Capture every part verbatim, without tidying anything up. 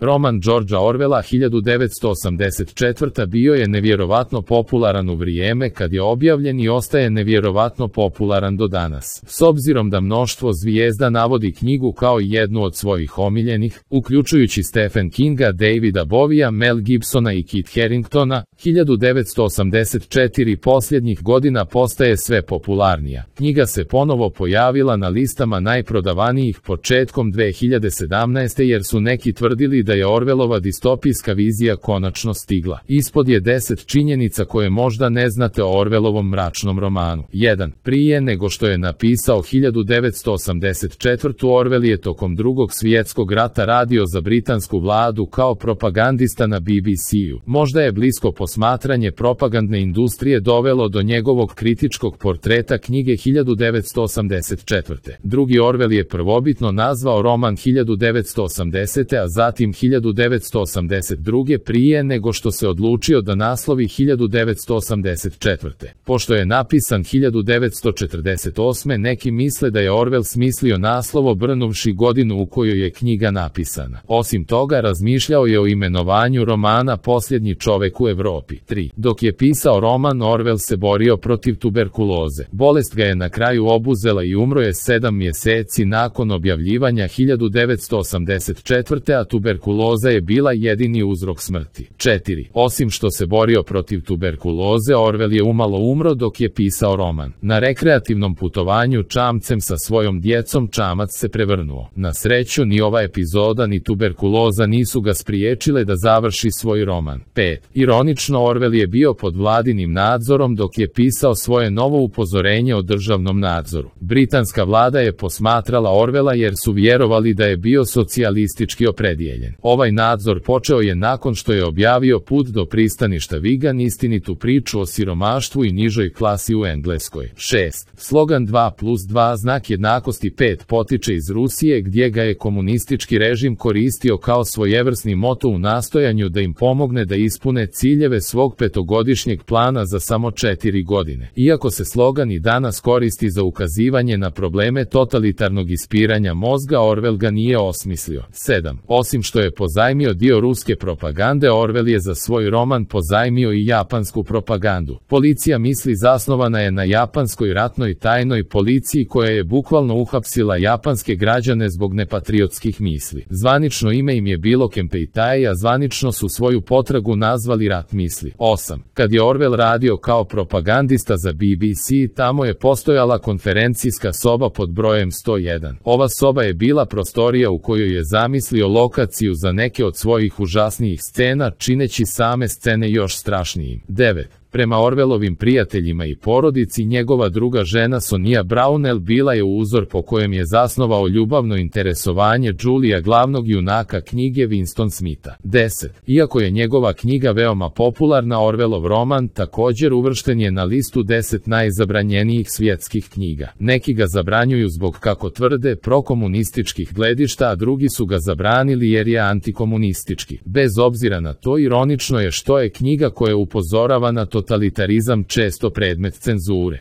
Roman Georgea Orwella hiljadu devetsto osamdeset četvrta bio je nevjerovatno popularan u vrijeme kad je objavljen i ostaje nevjerovatno popularan do danas. S obzirom da mnoštvo zvijezda navodi knjigu kao jednu od svojih omiljenih, uključujući Stephen Kinga, Davida Bovija, Mel Gibsona i Kit Haringtona, hiljadu devetsto osamdeset četvrte posljednjih godina postaje sve popularnija. Knjiga se ponovo pojavila na listama najprodavanijih početkom dve hiljade sedamnaeste. jer su neki tvrdili da je Orwellova distopijska vizija konačno stigla. Ispod je deset činjenica koje možda ne znate o Orwellovom mračnom romanu. jedan. Prije nego što je napisao hiljadu devetsto osamdeset četvrte. Orwell je tokom drugog svjetskog rata radio za britansku vladu kao propagandista na B B C-u. Možda je blisko posmatranje propagandne industrije dovelo do njegovog kritičkog portreta knjige hiljadu devetsto osamdeset četvrte. Drugi, Orwell je prvobitno nazvao roman hiljadu devetsto osamdesete. a zatim hiljadu devetsto osamdeset druge. prije nego što se odlučio da naslovi hiljadu devetsto osamdeset četvrte. Pošto je napisan hiljadu devetsto četrdeset osme. neki misle da je Orwell smislio naslov obrnuvši godinu u kojoj je knjiga napisana. Osim toga, razmišljao je o imenovanju romana Posljednji čovek u Evropi. tri. Dok je pisao roman, Orwell se borio protiv tuberkuloze. Bolest ga je na kraju obuzela i umro je sedam mjeseci nakon objavljivanja hiljadu devetsto osamdeset četvrte. a tuberkuloza je bila jedini uzrok smrti. četiri. Osim što se borio protiv tuberkuloze, Orwell je umalo umro dok je pisao roman. Na rekreativnom putovanju čamcem sa svojom djecom čamac se prevrnuo. Na sreću, ni ova epizoda ni tuberkuloza nisu ga spriječile da završi svoj roman. pet. Ironično, Orwell je bio pod vladinim nadzorom dok je pisao svoje novo upozorenje o državnom nadzoru. Britanska vlada je posmatrala Orwella jer su vjerovali da je bio socijalistički opredijeljen. Ovaj nadzor počeo je nakon što je objavio Put do pristaništa Vigan, istinitu priču o siromaštvu i nižoj klasi u Engleskoj. šest. Slogan dva plus dva znak jednakosti pet potiče iz Rusije, gdje ga je komunistički režim koristio kao svojevrsni moto u nastojanju da im pomogne da ispune ciljeve svog petogodišnjeg plana za samo četiri godine. Iako se slogan i danas koristi za ukazivanje na probleme totalitarnog ispiranja mozga, Orwell ga nije osmislio. sedam. Osim što je pozajmio dio ruske propagande, Orwell je za svoj roman pozajmio i japansku propagandu. Policija misli zasnovana je na japanskoj ratnoj tajnoj policiji koja je bukvalno uhapsila japanske građane zbog nepatriotskih misli. Zvanično ime im je bilo Kempeitai, a zvanično su svoju potragu nazvali rat misli. osam. Kad je Orwell radio kao propagandista za B B C, tamo je postojala konferencijska soba pod brojem sto jedan. Ova soba je bila prostorija u kojoj je zamislio lokaciju za neke od svojih užasnijih scena, čineći same scene još strašnijim. devet. Prema Orwellovim prijateljima i porodici, njegova druga žena Sonia Brownell bila je uzor po kojem je zasnovao ljubavno interesovanje Julia, glavnog junaka knjige Winston Smitha. deset. Iako je njegova knjiga veoma popularna, Orwellov roman također uvršten je na listu deset najzabranjenijih svjetskih knjiga. Neki ga zabranjuju zbog, kako tvrde, prokomunističkih gledišta, a drugi su ga zabranili jer je antikomunistički. Bez obzira na to, ironično je što je knjiga koja upozorava na totalitarizam često predmet cenzure.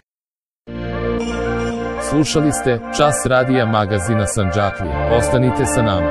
Slušali ste Čas radija magazina Sandžaklija. Ostanite sa nama.